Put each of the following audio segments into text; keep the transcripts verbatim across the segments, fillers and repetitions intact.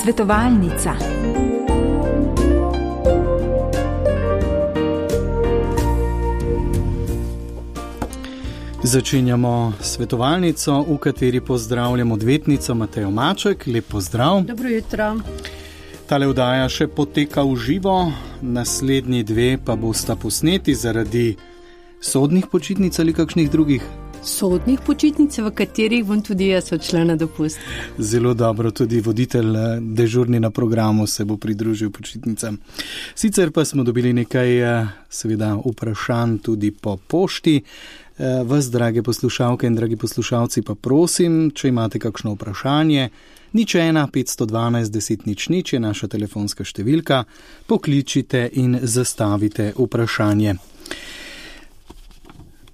Svetovalnica. Začenjamo svetovalnico, v kateri pozdravljam odvetnico Matejo Maček. Lep pozdrav. Dobro jutro. Tale vdaja še poteka v živo, naslednji dve pa bosta posneti zaradi sodnih počitnic ali kakšnih drugih. Sodnih počitnic, v katerih bom tudi jaz odšla na dopust. Zelo dobro, tudi voditelj dežurni na programu se bo pridružil počitnicam. Sicer pa smo dobili nekaj seveda vprašanj tudi po pošti. Vas, drage poslušalke in dragi poslušalci, pa prosim, če imate kakšno vprašanje, nič ena petsto dvanajst deset nič nič je naša telefonska številka, pokličite in zastavite vprašanje.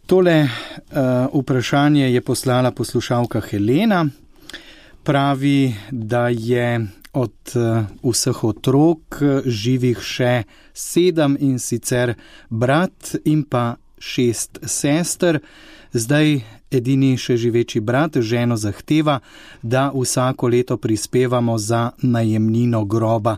Tole uh, vprašanje je poslala poslušalka Helena. Pravi, da je od uh, vseh otrok živih še sedem, in sicer brat in pa šest sester. Zdaj edini še živeči brat ženo zahteva, da vsako leto prispevamo za najemnino groba.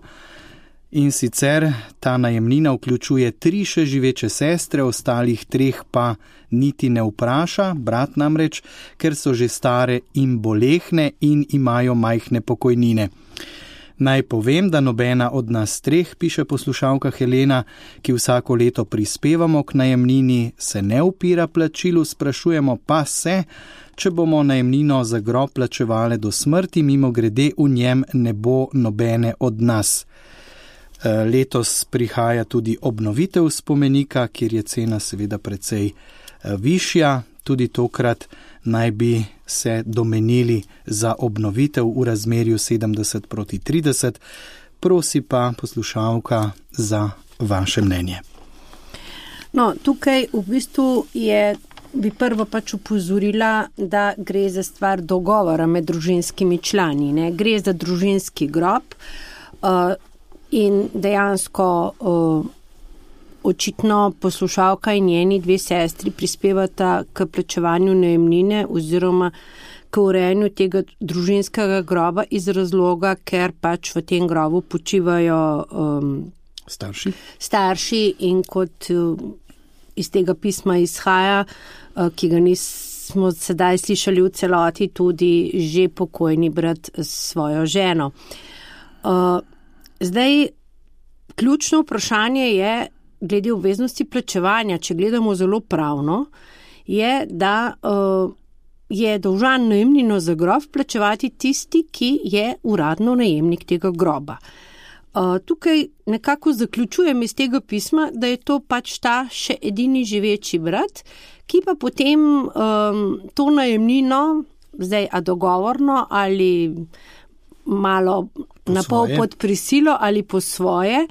In sicer ta najemnina vključuje tri še živeče sestre, ostalih treh pa niti ne vpraša, brat namreč, ker so že stare in bolehne in imajo majhne pokojnine. Naj povem, da nobena od nas treh, piše poslušalka Helena, ki vsako leto prispevamo k najemnini, se ne upira plačilu, sprašujemo pa se, če bomo najemnino za grob plačevale do smrti, mimo grede v njem ne bo nobene od nas. Letos prihaja tudi obnovitev spomenika, kjer je cena seveda precej višja. Tudi tokrat naj bi se domenili za obnovitev v razmerju sedemdeset proti trideset. Prosi pa poslušalka za vaše mnenje. No, tukaj v bistvu je, bi prvo pač upozorila, da gre za stvar dogovora med družinskimi člani. Ne? Gre za družinski grob, uh, in dejansko uh, očitno poslušalka in njeni dve sestri prispevata k plačevanju najemnine oziroma k urejanju tega družinskega groba iz razloga, ker pač v tem grobu počivajo um, starši. starši in kot uh, iz tega pisma izhaja, uh, ki ga nismo sedaj slišali v celoti, tudi že pokojni brat s svojo ženo. Uh, Zdaj, ključno vprašanje je, glede obveznosti plačevanja, če gledamo zelo pravno, je, da uh, je dolžan najemnino za grob plačevati tisti, ki je uradno najemnik tega groba. Uh, tukaj nekako zaključujem iz tega pisma, da je to pač ta še edini živeči brat, ki pa potem um, to najemnino, zdaj a dogovorno ali malo na pol pod prisilo ali po svoje,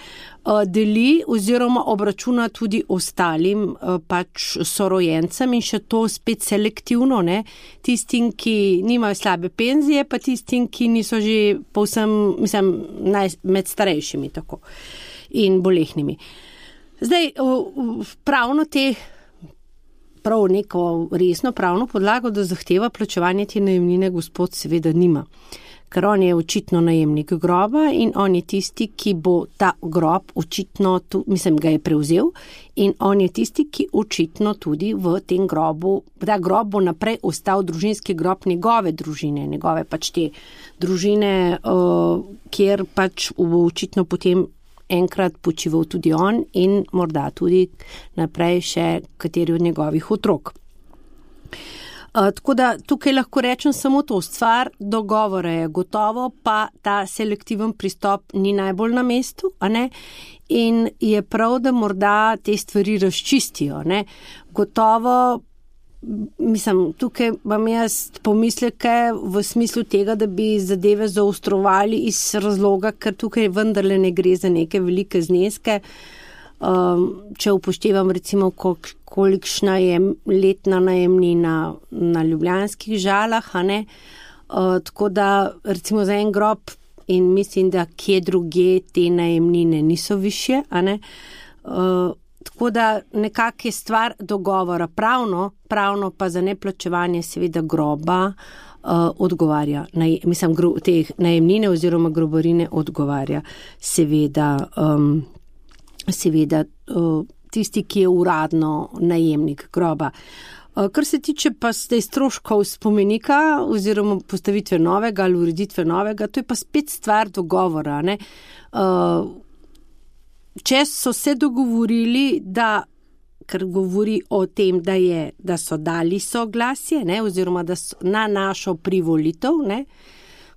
deli oziroma obračuna tudi ostalim pač sorojencem in še to spet selektivno, ne, tistim, ki nimajo slabe penzije, pa tistim, ki niso že povsem, mislim, naj, med starejšimi tako in bolehnimi. Zdaj, pravno te, prav neko resno pravno podlago, da zahteva plačevanje te najemnine, gospod seveda nima. Ker on je očitno najemnik groba in on je tisti, ki bo ta grob očitno, tu, mislim, ga je prevzel in on je tisti, ki očitno tudi v tem grobu, ta grob bo naprej ostal družinski grob njegove družine, njegove pač te družine, uh, kjer pač bo očitno potem enkrat počival tudi on in morda tudi naprej še kateri od njegovih otrok. Uh, tako da tukaj lahko rečem samo to, stvar dogovora je gotovo, pa ta selektiven pristop ni najbolj na mestu, a ne? In je prav, da morda te stvari razčistijo, ne? Gotovo, mislim, tukaj imam jaz pomisleke v smislu tega, da bi zadeve zaostrovali iz razloga, ker tukaj vendarle ne gre za neke velike zneske. Um, če upoštevam recimo, kolik, kolikšna je letna najemnina na ljubljanskih Žalah, a ne? Uh, tako da recimo za en grob in mislim, da kje druge te najemnine niso višje, a ne? Uh, tako da nekak je stvar dogovora pravno, pravno pa za neplačevanje seveda groba uh, odgovarja, naj, mislim, gro, teh najemnine oziroma grobarine odgovarja seveda, um, seveda uh, tisti, ki je uradno najemnik groba. Uh, kar se tiče pa zdaj stroškov spomenika oziroma postavitve novega ali ureditve novega, to je pa spet stvar dogovora, ne. Uh, če so se dogovorili, da ker govori o tem, da, je, da so dali soglasje, ne, oziroma da so na našo privolitev, ne.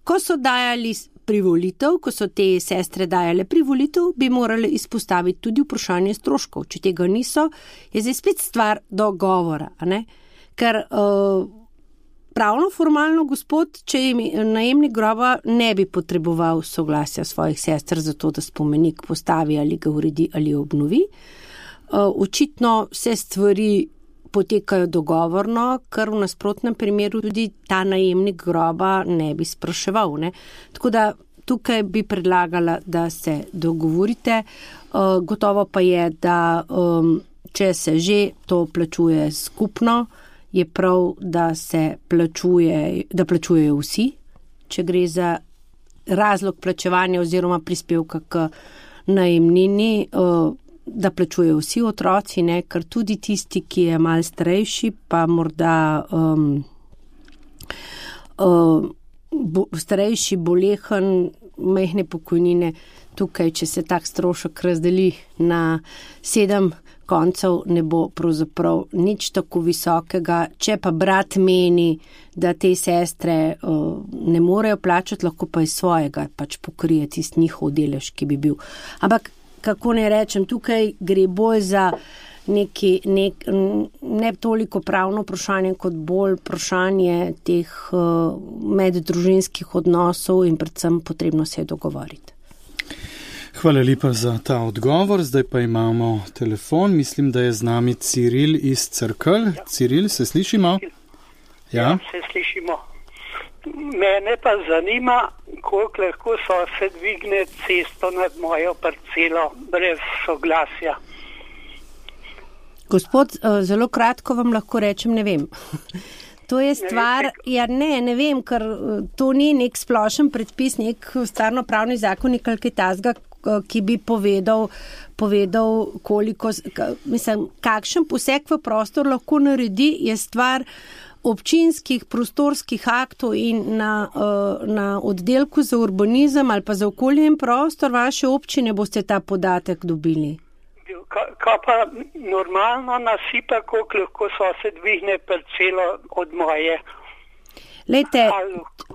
Ko so dajali privolitev, ko so te sestre dajale privolitev, bi morali izpostaviti tudi vprašanje stroškov. Če tega niso, je zdaj spet stvar dogovora, ne. Ker uh, pravno formalno gospod, če je najemnik groba, ne bi potreboval soglasja svojih sester za to, da spomenik postavi ali ga uredi ali obnovi. Očitno se stvari potekajo dogovorno, ker v nasprotnem primeru tudi ta najemnik groba ne bi spraševal, ne. Tako da tukaj bi predlagala, da se dogovorite. Gotovo pa je, da če se že to plačuje skupno, je prav, da se plačuje, da plačujejo vsi, če gre za razlog plačevanja oziroma prispevka k najemnini, da plačujejo vsi otroci, ne, ker tudi tisti, ki je malo starejši, pa morda um, um, bo, starejši, bolehen, majhne pokojnine, tukaj, če se tak strošek razdeli na sedem koncev, ne bo pravzaprav nič tako visokega. Če pa brat meni, da te sestre uh, ne morejo plačati, lahko pa iz svojega pač pokrije tisti njihov delež, ki bi bil. Ampak kako ne rečem, tukaj gre bolj za neki, nek, ne toliko pravno vprašanje, kot bolj vprašanje teh uh, meddružinskih odnosov in predvsem potrebno se je dogovoriti. Hvala lepa za ta odgovor. Zdaj pa imamo telefon. Mislim, da je z nami Ciril iz Cerkelj. Ja. Ciril, se slišimo? Ja, ja se slišimo. Mene pa zanima, koliko lahko sosed dvigne cesto nad mojo parcelo brez soglasja. Gospod, zelo kratko vam lahko rečem, ne vem. To je stvar, ja ne, ne vem, ker to ni nek splošen predpis, nek stvarnopravni zakonik ali kaj takega, ki bi povedal, povedal koliko, mislim, kakšen poseg v prostor lahko naredi, je stvar občinskih prostorskih aktov in na, na oddelku za urbanizem ali pa za okolje in prostor vaše občine boste ta podatek dobili. Kaj pa normalno nasipa, koliko lahko sosed dvigne parcelo od moje? Lejte,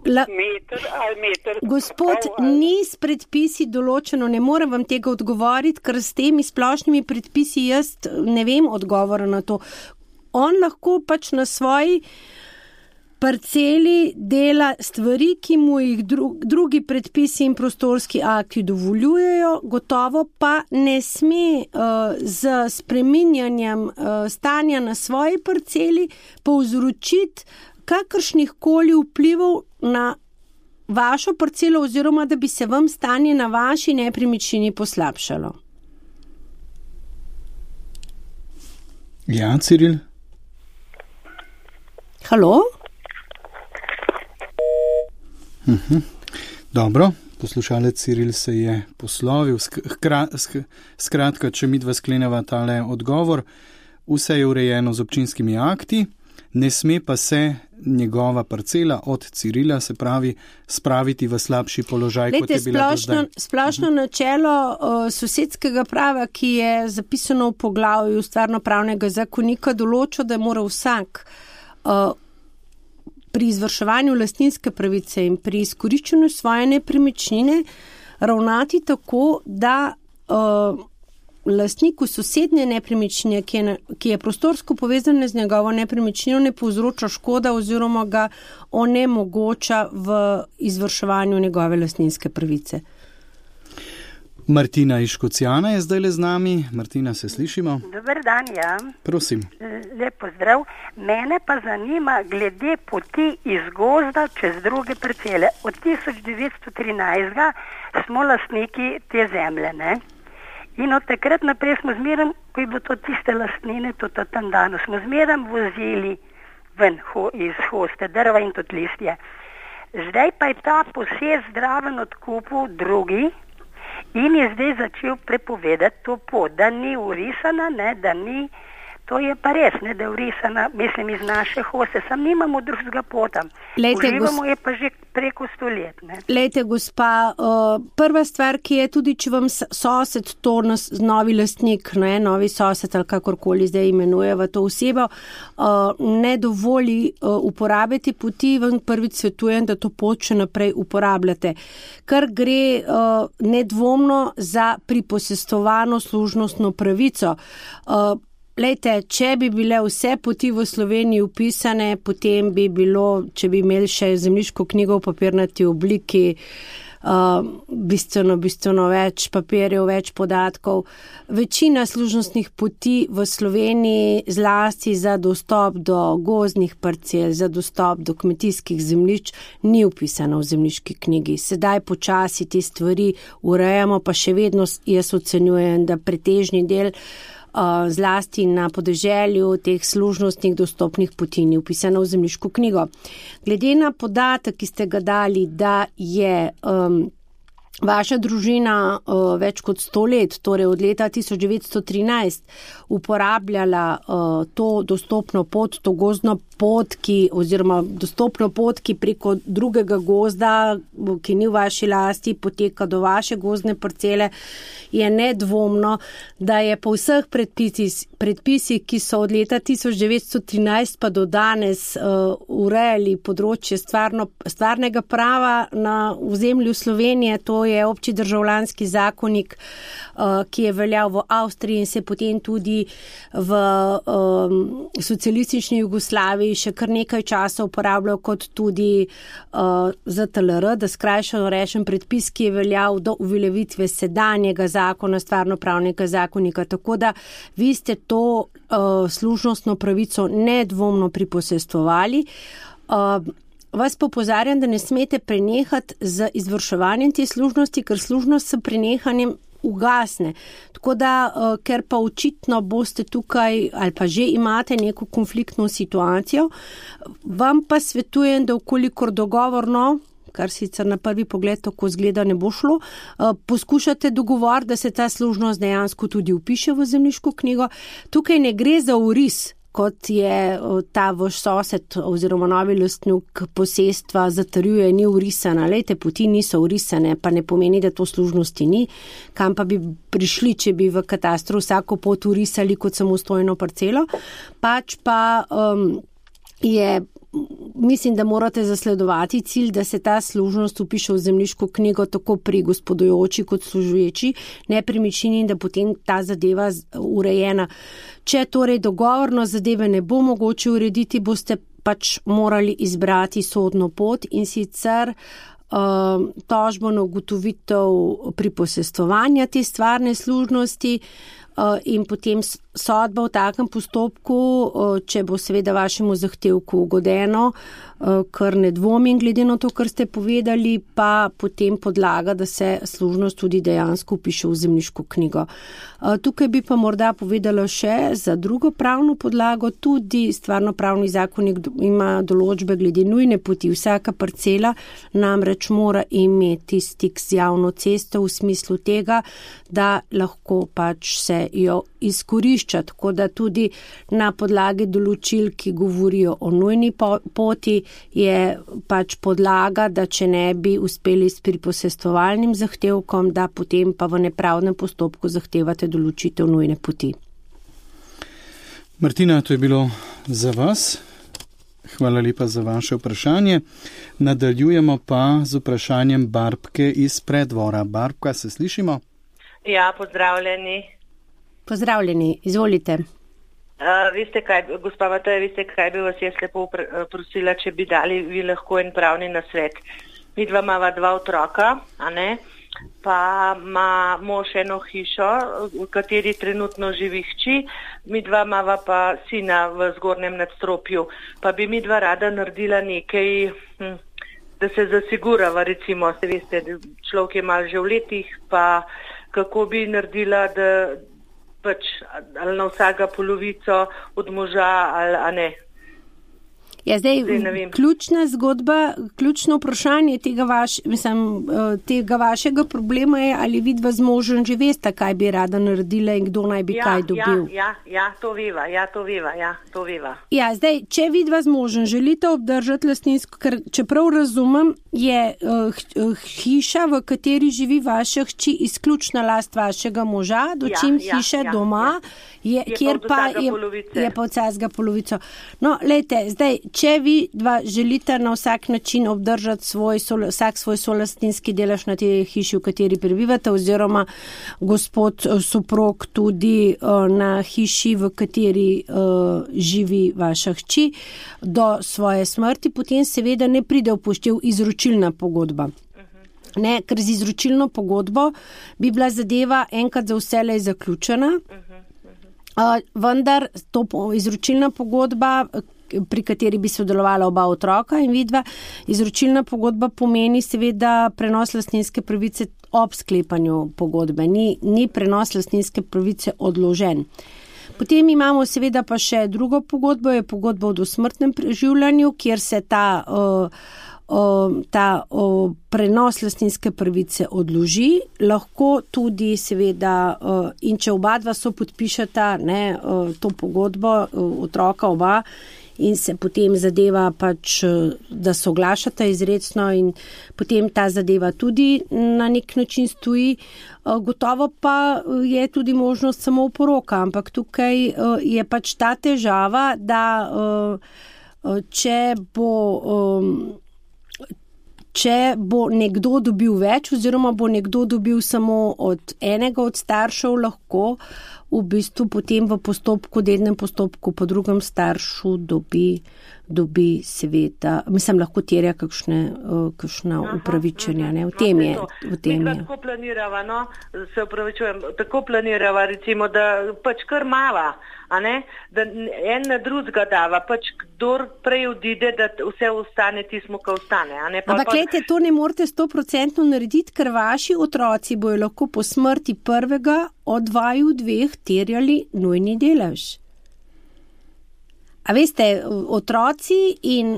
la, meter, meter, gospod, pol, ali... ni s predpisi določeno, ne morem vam tega odgovoriti, ker s temi splošnimi predpisi jaz ne vem odgovora na to. On lahko pač na svoji parceli dela stvari, ki mu jih dru, drugi predpisi in prostorski akti dovoljujejo, gotovo pa ne sme uh, z spreminjanjem uh, stanja na svoji parceli povzročiti kakršnih koli vplivov na vašo parcelo oziroma da bi se vam stanje na vaši nepremičnini poslabšalo. Ja, Ciril? Halo? Mhm. Dobro, poslušalec Ciril se je poslovil. Skratka, če midva skleneva tale odgovor, vse je urejeno z občinskimi akti, ne sme pa se njegova parcela od Cirila, se pravi, spraviti v slabši položaj, Lejte, kot je bila splošno, do zdaj. Splošno načelo uh, sosedskega prava, ki je zapisano v poglavju stvarnopravnega zakonika, določa, da mora vsak uh, pri izvrševanju lastninske pravice in pri izkoriščanju svoje nepremičnine ravnati tako, da uh, lastniku sosednje nepremičnine, ki je, ki je prostorsko povezana z njegovo nepremičnino, ne povzroča škoda oziroma ga onemogoča v izvrševanju njegove lastninske pravice. Martina iz Škocjana je zdaj le z nami. Martina, se slišimo? Dober dan, ja. Prosim. Lep pozdrav. Mene pa zanima glede poti iz gozda čez druge parcele. Od tisoč devetsto trinajst smo lastniki te zemlje, ne? In od takrat naprej smo zmeraj, ko je bilo to tiste lastnine, to tam danes, smo zmeraj vozili ven ho, iz hoste drva in tudi listje. Zdaj pa je ta posest zdraven odkupil drugi in je zdaj začel prepovedati to pot, da ni urisana, ne, da ni, to je pa res, ne, da je urisana, mislim, iz naše hoste, sam nimamo drugega pota. Lejte, Uživamo gos... je pa že preko sto let. Ne. Lejte, gospa, uh, prva stvar, ki je tudi, če vam sosed, to nas, novi lastnik, ne, novi sosed ali kakorkoli zdaj imenujeva to osebo, uh, ne dovoli uh, uporabiti poti, vam prvič svetujem, da to pot še naprej uporabljate. Kar gre uh, nedvomno za priposestovano služnostno pravico. Uh, Lejte, če bi bile vse poti v Sloveniji upisane, potem bi bilo, če bi imeli še zemljiško knjigo v papirnati obliki, uh, bistveno, bistveno več papirjev, več podatkov. Večina služnostnih poti v Sloveniji, zlasti za dostop do gozdnih parcel, za dostop do kmetijskih zemljišč, ni upisana v zemljiški knjigi. Sedaj počasi te stvari urejamo, pa še vedno jaz ocenjujem, da pretežni del zlasti na podeželju teh služnostnih dostopnih poti ni upisano v zemljiško knjigo. Glede na podatek, ki ste ga dali, da je um, vaša družina uh, več kot sto let, torej od leta tisoč devetsto trinajst, uporabljala uh, to dostopno pot, to gozdno pot, ki, oziroma dostopno pot, ki preko drugega gozda, ki ni v vaši lasti, poteka do vaše gozdne parcele, je nedvomno, da je po vseh predpisih, predpisih, ki so od leta tisoč devetsto trinajst pa do danes uh, urejali področje stvarno, stvarnega prava na ozemlju Slovenije, to je obči državljanski zakonik, uh, ki je veljal v Avstriji in se potem tudi v um, socialistični Jugoslaviji še kar nekaj časa uporabljal kot tudi uh, Z T L R, da skrajšano rečem predpis, ki je veljal do uveljavitve sedanjega zakona, stvarnopravnega zakonika. Tako da vi ste to uh, služnostno pravico nedvomno priposestvovali. Uh, Vas popozarjam, da ne smete prenehati z izvrševanjem te služnosti, ker služnost s prenehanjem ugasne. Tako da, uh, ker pa očitno boste tukaj ali pa že imate neko konfliktno situacijo, vam pa svetujem, da okolikor dogovorno, kar sicer na prvi pogled tako zgleda ne bo šlo, uh, poskušate dogovor, da se ta služnost dejansko tudi upiše v zemljiško knjigo. Tukaj ne gre za uris, kot je ta vaš sosed oziroma novi lastnik posestva zatrjuje, ni urisana. Lejte, poti niso urisane, pa ne pomeni, da to služnosti ni. Kam pa bi prišli, če bi v katastru vsako pot urisali kot samostojno parcelo? Pač pa um, je, mislim, da morate zasledovati cilj, da se ta služnost upiše v zemljiško knjigo tako pri gospodujoči kot služuječi nepremičnini in da potem ta zadeva urejena. Če torej dogovorno zadeve ne bo mogoče urediti, boste pač morali izbrati sodno pot in sicer uh, tožbo na ugotovitev priposestovanja te stvarne služnosti uh, in potem sodba v takem postopku, uh, če bo seveda vašemu zahtevku ugodeno, uh, kar ne dvomim glede na to, kar ste povedali, pa potem podlaga, da se služnost tudi dejansko upiše v zemljiško knjigo. Tukaj bi pa morda povedala še za drugo pravno podlago, tudi stvarno pravni zakonik ima določbe glede nujne poti. Vsaka parcela namreč mora imeti stik z javno cesto v smislu tega, da lahko pač se jo izkorišča, tako da tudi na podlagi določil, ki govorijo o nujni poti, je pač podlaga, da če ne bi uspeli s priposestovalnim zahtevkom, da potem pa v nepravdnem postopku zahtevate določitev nujne poti. Martina, to je bilo za vas. Hvala lepa za vaše vprašanje. Nadaljujemo pa z vprašanjem Barbke iz Preddvora. Barbka, se slišimo? Ja, pozdravljeni. Pozdravljeni, izvolite. Uh, veste kaj, gospa Mateja, veste kaj bi vas jaz lepo prosila, če bi dali vi lahko en pravni nasvet. Mi dva imava dva otroka, a ne? Pa ima mož eno hišo, v kateri trenutno živi hči, mi dva imava pa sina v zgornjem nadstropju. Pa bi mi dva rada naredila nekaj, hm, da se zasigurava, recimo, se veste, človek je malo že v letih, pa kako bi naredila, da pač ali na vsega polovico od moža ali a ne. Ja, zdaj, ključna zgodba, ključno vprašanje tega, vaš, mislim, tega vašega problema je, ali vidva z možem že veste, kaj bi rada naredila in kdo naj bi ja, kaj dobil. Ja, ja, ja, to viva, ja, to viva, ja, to viva. Ja, zdaj, če vidva z možem želite obdržati lastninsko, ker čeprav razumem, je uh, hiša, v kateri živi vaša hči, izključna last vašega moža, dočim ja, hiša ja, doma, ja. Je, je kjer pa je, je pa od vsega polovico. No, lejte, zdaj, če vi dva želite na vsak način obdržati svoj, vsak svoj solastninski delež na tej hiši, v kateri prebivate, oziroma gospod soprog tudi uh, na hiši, v kateri uh, živi vaša hči, do svoje smrti, potem seveda ne pride v poštev izročilna pogodba. Ne, ker z izročilno pogodbo bi bila zadeva enkrat za vselej zaključena, uh, vendar to izročilna pogodba, pri kateri bi sodelovala oba otroka in vidva, izročilna pogodba pomeni seveda prenos lastninske pravice ob sklepanju pogodbe, ni, ni prenos lastninske pravice odložen. Potem imamo seveda pa še drugo pogodbo, je pogodba o dosmrtnem preživljanju, kjer se ta, uh, uh, ta uh, prenos lastninske pravice odloži, lahko tudi seveda, uh, in če oba dva so podpišeta ne, uh, to pogodbo, uh, otroka oba, in se potem zadeva pač, da soglašata izrecno in potem ta zadeva tudi na nek način stoji. Gotovo pa je tudi možnost samo oporoka, ampak tukaj je pač ta težava, da če bo, če bo nekdo dobil več oziroma bo nekdo dobil samo od enega od staršev, lahko v bistvu potem v postopku, dednem postopku po drugem staršu dobi, dobi seveda, mislim, lahko terja kakšne, kakšna upravičenja, ne, v tem je. V tem je. Tako planirava, no, se upravičujem, tako planirava, recimo, da pač kar mava, a ne, da en na drugega dava, pač kdor prej odide, da vse ostane tismo, ko ostane, a ne. Pa, ampak, glejte, to ne morete sto procentno narediti, ker vaši otroci bojo lahko po smrti prvega od dvaju dveh terjali nujni delež. A veste, otroci in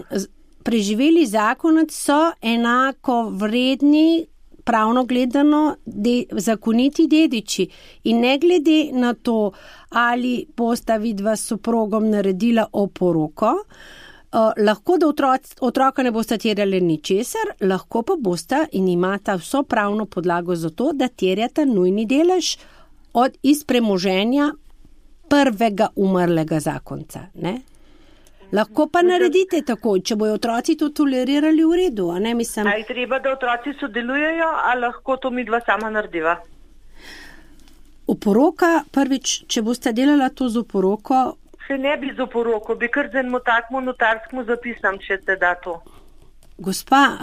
preživeli zakonec so enako vredni, pravno gledano, de, zakoniti dediči. In ne glede na to, ali bosta vidva s soprogom naredila oporoko, uh, lahko da otroc, otroka ne bosta terjali ničesar, lahko pa bosta in imata vso pravno podlago za to, da terjata nujni delež od iz premoženja prvega umrlega zakonca, ne? Lahko pa naredite tako, če bojo otroci to tolerirali v redu, a ne, mislim. A je treba, da otroci sodelujejo, a lahko to midva sama narediva? Oporoka, prvič, če boste delala to z oporoko. Se ne bi z oporoko, bi kar z enemu takmu notarskemu zapisam, če se da to. Gospa,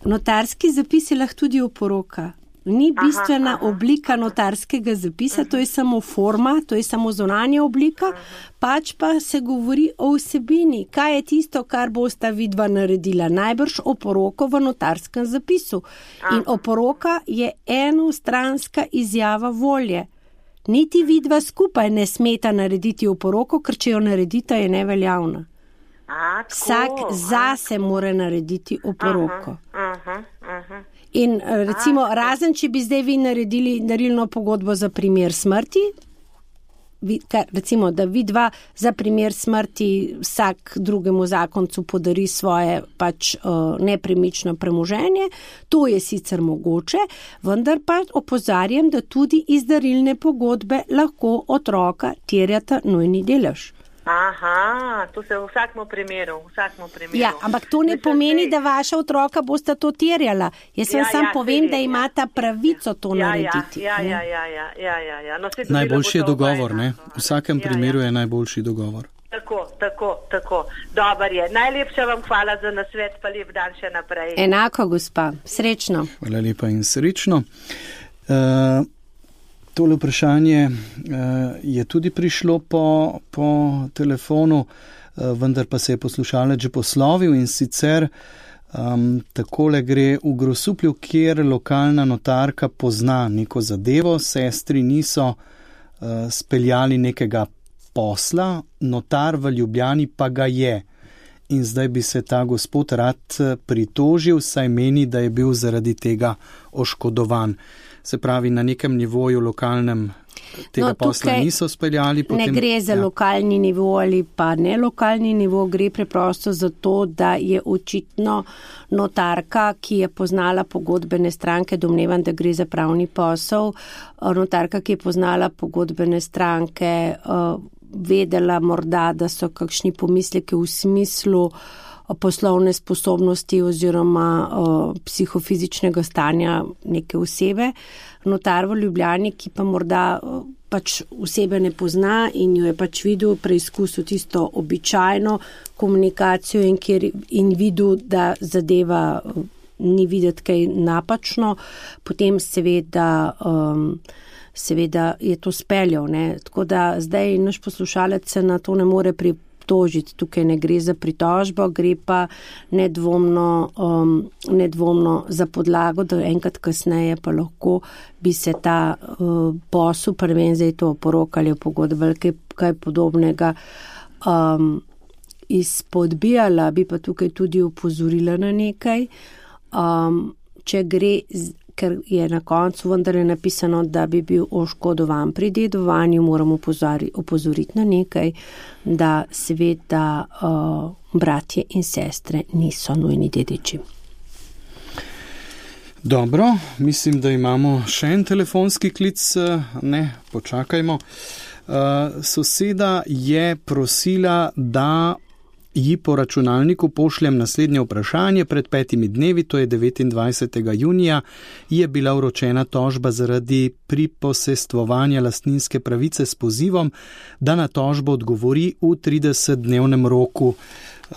notarski zapis je lahko tudi oporoka. Ni bistvena aha, aha. oblika notarskega zapisa, uh-huh. to je samo forma, to je samo zunanja oblika, uh-huh. pač pa se govori o vsebini. Kaj je tisto, kar bosta vidva naredila? Najbrž oporoko v notarskem zapisu. Uh-huh. In oporoka je enostranska izjava volje. Niti vidva skupaj ne smeta narediti oporoko, ker če jo naredita, je neveljavna. A, vsak zase mora narediti oporoko. Aha, aha, aha. In recimo, A, razen če bi zdaj vi naredili darilno pogodbo za primer smrti, vi, kar, recimo, da vi dva za primer smrti vsak drugemu zakoncu podari svoje pač uh, nepremično premoženje, to je sicer mogoče, vendar pa opozarjam, da tudi iz darilne pogodbe lahko otroka terjata nujni delež. Aha, to se v vsakmu primeru, v vsakmu primeru. Ja, ampak to ne pomeni, da vaša otroka bosta to terjala. Jaz vam ja, sam ja, povem, da imata pravico to ja, narediti. Ja, ja, ja, ja, ja, ja, ja. No, najboljši je dogovor, ne? V vsakem ja, primeru ja. je najboljši dogovor. Tako, tako, tako. Dobar je. Najlepša vam hvala za nasvet, pa lep dan še naprej. Enako, gospa. Srečno. Hvala lepa in srečno. Uh, Tole vprašanje je tudi prišlo po, po telefonu, vendar pa se je poslušalec že poslovil in sicer um, takole gre v Grosuplju, kjer lokalna notarka pozna neko zadevo, sestri niso uh, speljali nekega posla, notar v Ljubljani pa ga je. in zdaj bi se ta gospod rad pritožil, saj meni, da je bil zaradi tega oškodovan. Se pravi, na nekem nivoju lokalnem tega no, posla niso speljali. Potem, ne gre za ja. lokalni nivo ali pa ne lokalni nivo, gre preprosto za to, da je očitno notarka, ki je poznala pogodbene stranke, domnevam, da gre za pravni posel, notarka, ki je poznala pogodbene stranke, vedela morda, da so kakšni pomisleki v smislu poslovne sposobnosti oziroma o, psihofizičnega stanja neke osebe. Notar v Ljubljani, ki pa morda o, pač osebe ne pozna in jo je pač videl, preizkusil tisto običajno komunikacijo in, kjer, in videl, da zadeva o, ni videti kaj napačno, potem seveda, um, seveda je to speljal. Ne? Tako da zdaj naš poslušalec se na to ne more pripraviti. Tožiti. Tukaj ne gre za pritožbo, gre pa nedvomno, um, nedvomno za podlago, da enkrat kasneje pa lahko bi se ta uh, posel, prven zdaj to poroka ali pogodba ali kaj, kaj podobnega um, izpodbijala, bi pa tukaj tudi opozorila na nekaj. Um, če gre, ker je na koncu vendar je napisano, da bi bil oškodovan pri dedovanju, moramo opozoriti na nekaj, da seveda uh, bratje in sestre niso nujni dediči. Dobro, mislim, da imamo še en telefonski klic. Ne, počakajmo. Uh, soseda je prosila, da ji po računalniku pošljem naslednje vprašanje. Pred petimi dnevi, to je devetindvajsetega junija, je bila vročena tožba zaradi priposestvovanja lastninske pravice s pozivom, da na tožbo odgovori v tridesetdnevnem roku.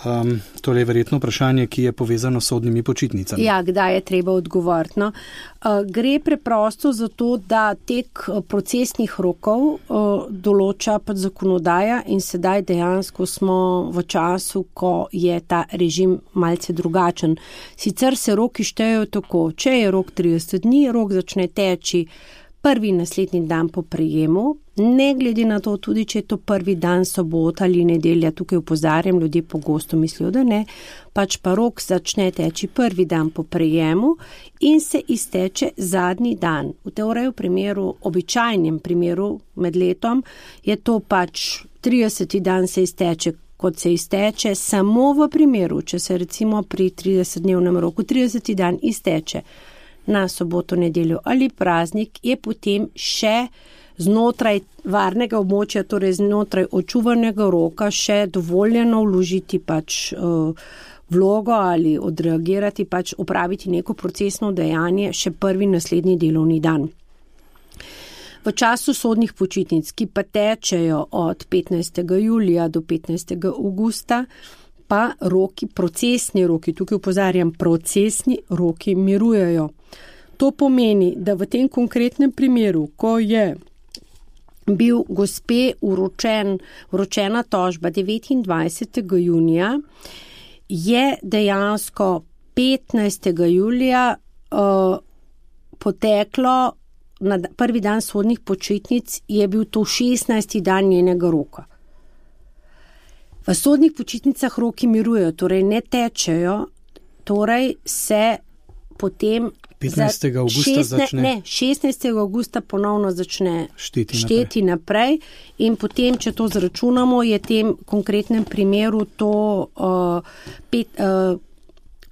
Um, to je verjetno vprašanje, ki je povezano s sodnimi počitnicami. Ja, kdaj je treba odgovoriti? No? Uh, gre preprosto za to, da tek procesnih rokov uh, določa pa zakonodaja in sedaj dejansko smo v času, ko je ta režim malce drugačen. Sicer se roki štejejo tako, če je rok trideset dni, rok začne teči prvi naslednji dan po prejemu, ne glede na to, tudi če je to prvi dan sobota ali nedelja, tukaj opozarjam, ljudje pogosto mislijo, da ne, pač pa rok začne teči prvi dan po prejemu in se izteče zadnji dan. V teoriji v primeru, običajnem primeru med letom, je to pač trideseti dan se izteče, kot se izteče, samo v primeru, če se recimo pri tridesetdnevnem roku trideseti dan izteče na soboto, nedeljo ali praznik, je potem še znotraj varnega območja, torej znotraj očuvanega roka, še dovoljeno vložiti pač uh, vlogo ali odreagirati, pač opraviti neko procesno dejanje še prvi naslednji delovni dan. V času sodnih počitnic, ki pa tečejo od petnajstega julija do petnajstega avgusta, pa roki, procesni roki, tukaj opozarjam, procesni roki mirujejo. To pomeni, da v tem konkretnem primeru, ko je bil gospe uročen, uročena tožba devetindvajsetega junija, je dejansko petnajstega julija uh, poteklo, na prvi dan sodnih počitnic je bil to šestnajsti dan njenega roka. V sodnih počitnicah roki mirujejo, torej ne tečejo, torej se potem petnajstega avgusta začne. Ne, šestnajstega avgusta ponovno začne šteti, šteti naprej. naprej in potem, če to zračunamo, je v tem konkretnem primeru to uh, pet, uh,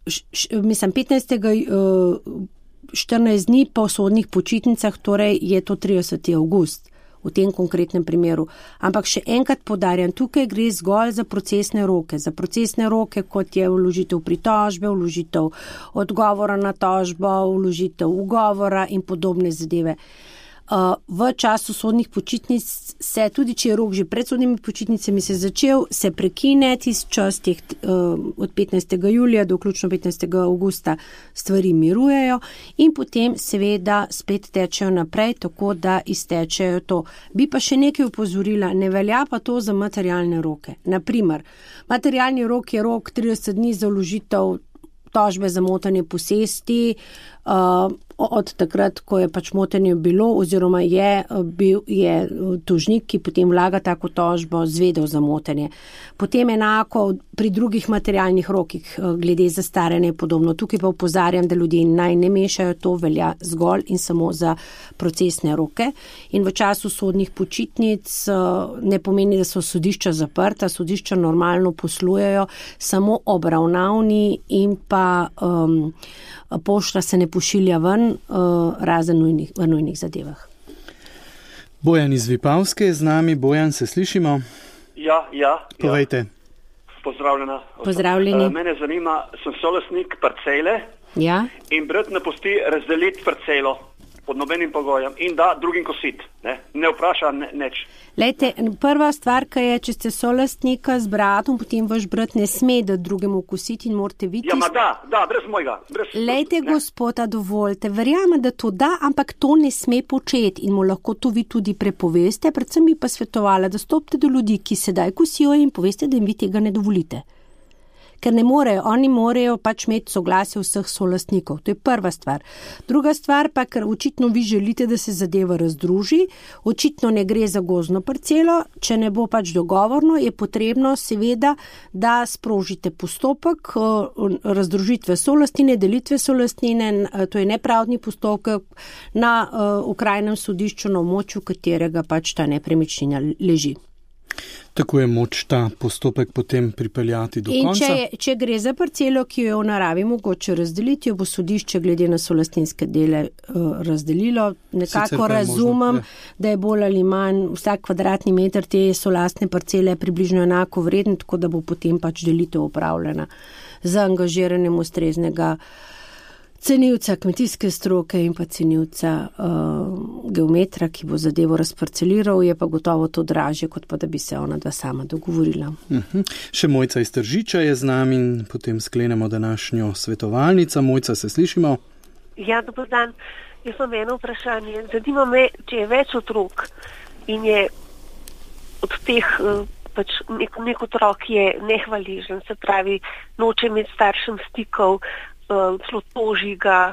š, š, mislim, petnajstega Uh, štirinajst dni po sodnih počitnicah, torej je to trideseti avgust. V tem konkretnem primeru. Ampak še enkrat poudarjam, tukaj gre zgolj za procesne roke. Za procesne roke, kot je vložitev pritožbe, vložitev odgovora na tožbo, vložitev ugovora in podobne zadeve. V času sodnih počitnic se, tudi če je rok že pred sodnimi počitnicami se začel, se prekine tisti čas teh, od petnajstega julija do vključno petnajstega avgusta stvari mirujejo in potem seveda spet tečejo naprej, tako da iztečejo to. Bi pa še nekaj upozorila, ne velja pa to za materialne roke. Naprimer, materialni rok je rok trideset dni za vložitev tožbe za motanje posesti, Uh, od takrat, ko je pač motenje bilo oziroma je, bil, je tožnik, ki potem vlaga tako tožbo, zvedel za motenje. Potem enako pri drugih materialnih rokih glede zastaranja in podobno. Tukaj pa opozarjam, da ljudje naj ne mešajo, to velja zgolj in samo za procesne roke. In v času sodnih počitnic ne pomeni, da so sodišča zaprta, sodišča normalno poslujejo, samo obravnavni in pa um, pošta se ne pošilja ven, uh, razen nujnih, v nujnih zadevah. Bojan iz Vipavske je z nami. Bojan, se slišimo? Ja, ja. Povejte. Ja. Pozdravljena. Pozdravljeni. Uh, mene zanima, sem solastnik parcele ja? in brat ne pusti razdeliti parcelo pod nobenim pogojem in da drugim kosit. Ne, ne vpraša ne, neč. Lejte, prva stvar, kaj je, če ste solastnika z bratom, potem vaš brat ne sme da drugemu kositi in morate videti. Ja, ma da, da, brez mojega. Brez, Lejte, ne. gospoda, dovolite, verjamem, da to da, ampak to ne sme početi in mu lahko to vi tudi prepoveste, predvsem bi pa svetovala, da stopite do ljudi, ki sedaj kosijo in poveste, da jim vi tega ne dovolite. Ker ne morejo, oni morajo pač imeti soglasje vseh solastnikov. To je prva stvar. Druga stvar pa, ker očitno vi želite, da se zadeva razdruži, očitno ne gre za gozdno parcelo, če ne bo pač dogovorno, je potrebno seveda, da sprožite postopek razdružitve solastnine, delitve solastnine, to je nepravdni postopek na okrajnem sodišču, na območju katerega pač ta nepremičnina leži. Tako je moč ta postopek potem pripeljati do in konca. In če, če gre za parcelo, ki jo je v naravi mogoče razdeliti, jo bo sodišče glede na solastninske dele uh, razdelilo. Nekako razumem, možno, da je bolj ali manj vsak kvadratni meter te solastne parcele približno enako vreden, tako da bo potem pač delitev upravljena z angažiranjem ustreznega cenilca kmetijske stroke in pa cenilca uh, geometra, ki bo zadevo razparceliral, je pa gotovo to dražje, kot pa da bi se ona dva sama dogovorila. Uh-huh. Še Mojca iz Tržiča je z nami in potem sklenemo današnjo svetovalnico. Mojca, se slišimo? Ja, dober dan. Jaz imam eno vprašanje. Zanima me, če je več otrok in je od teh uh, pač nek, nek otrok je nehvaležen, se pravi, noče imeti staršem stikov, celo toži ga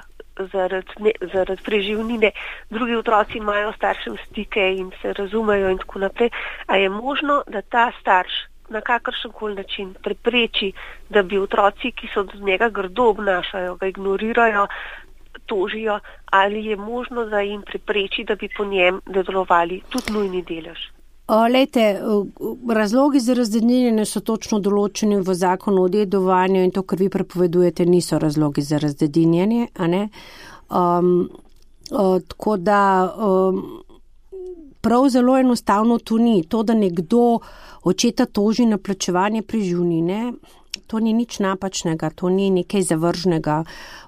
zaradi, zaradi preživnine, drugi otroci imajo staršem stike in se razumejo in tako naprej. A je možno, da ta starš na kakršenkoli način prepreči, da bi otroci, ki so do njega grdo obnašajo, ga ignorirajo, tožijo, ali je možno, da jim prepreči, da bi po njem delovali tudi nujni delež? Lejte, razlogi za razdeljenje so točno določeni v zakonu o dedovanju in to, kar vi prepovedujete, niso razlogi za razdeljenje, a ne? Um, uh, tako da um, prav zelo enostavno to ni. To, da nekdo očeta toži na plačevanje preživnine, to ni nič napačnega, to ni nekaj zavržnega.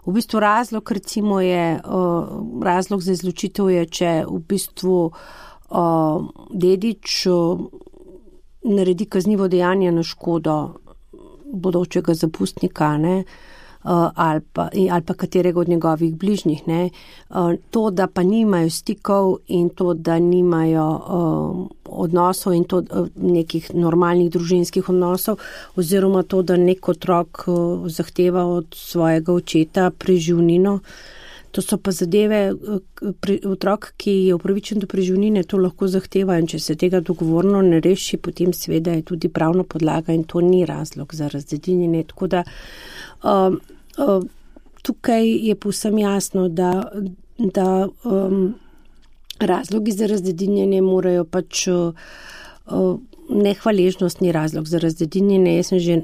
V bistvu razlog, recimo je, uh, razlog za izločitev je, če v bistvu Uh, dedič uh, naredi kaznivo dejanje na škodo bodočega zapustnika, ne, uh, ali, pa, ali pa katerega od njegovih bližnjih. Ne. Uh, to, da pa nimajo stikov in to, da nimajo uh, odnosov in to uh, nekih normalnih družinskih odnosov, oziroma to, da nek otrok uh, zahteva od svojega očeta preživnino. To so pa zadeve, otrok, ki je upravičen do preživnine, to lahko zahteva in če se tega dogovorno ne reši, potem seveda je tudi pravna podlaga in to ni razlog za razdeljenje. Tako da um, um, tukaj je povsem jasno, da, da um, razlogi za razdeljenje morajo pač uh, nehvaležnost ni razlog za razdeljenje. Jaz sem že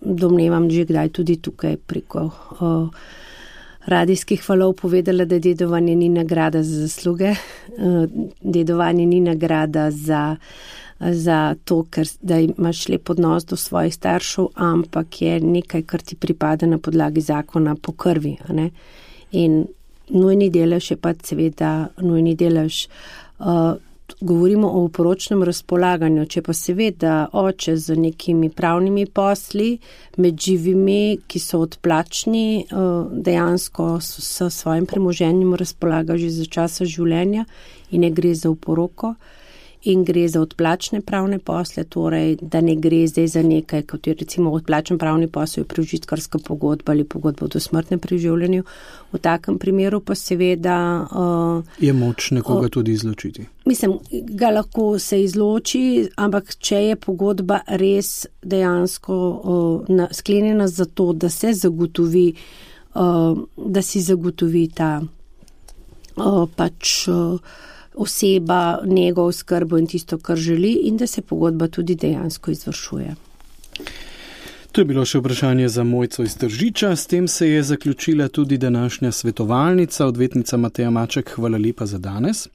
domnevam že kdaj tudi tukaj preko uh, radijskih valov povedala, da dedovanje ni nagrada za zasluge, dedovanje ni nagrada za, za to, ker da imaš lep odnos do svojih staršev, ampak je nekaj, kar ti pripada na podlagi zakona po krvi. A ne? In nujni delež je pa seveda nujni delež. Uh, govorimo o poročnem razpolaganju, če pa seveda oče z nekimi pravnimi posli med živimi, ki so odplačni, dejansko s svojim premoženjem razpolaga že za časa življenja in ne gre za oporoko in gre za odplačne pravne posle, torej da ne gre zdaj za nekaj, kot je recimo odplačen pravni posel, prežitkarska pogodba ali pogodba o dosmrtnem preživljanju. V takem primeru pa seveda uh, je moč nekoga uh, tudi izločiti. Mislim, ga lahko se izloči, ampak če je pogodba res dejansko uh, na, sklenjena za to, da se zagotovi, uh, da si zagotovi ta uh, pač uh, oseba, njegov skrbo in tisto, kar želi, in da se pogodba tudi dejansko izvršuje. To je bilo še vprašanje za Mojco iz Tržiča. S tem se je zaključila tudi današnja svetovalnica, odvetnica Mateja Maček. Hvala lepa za danes.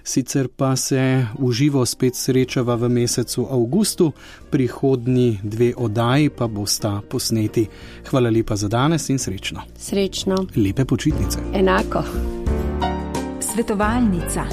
Sicer pa se v živo spet srečava v mesecu avgustu, prihodnji dve oddaji pa bosta posneti. Hvala lepa za danes in srečno. Srečno. Lepe počitnice. Enako. Svetovalnica.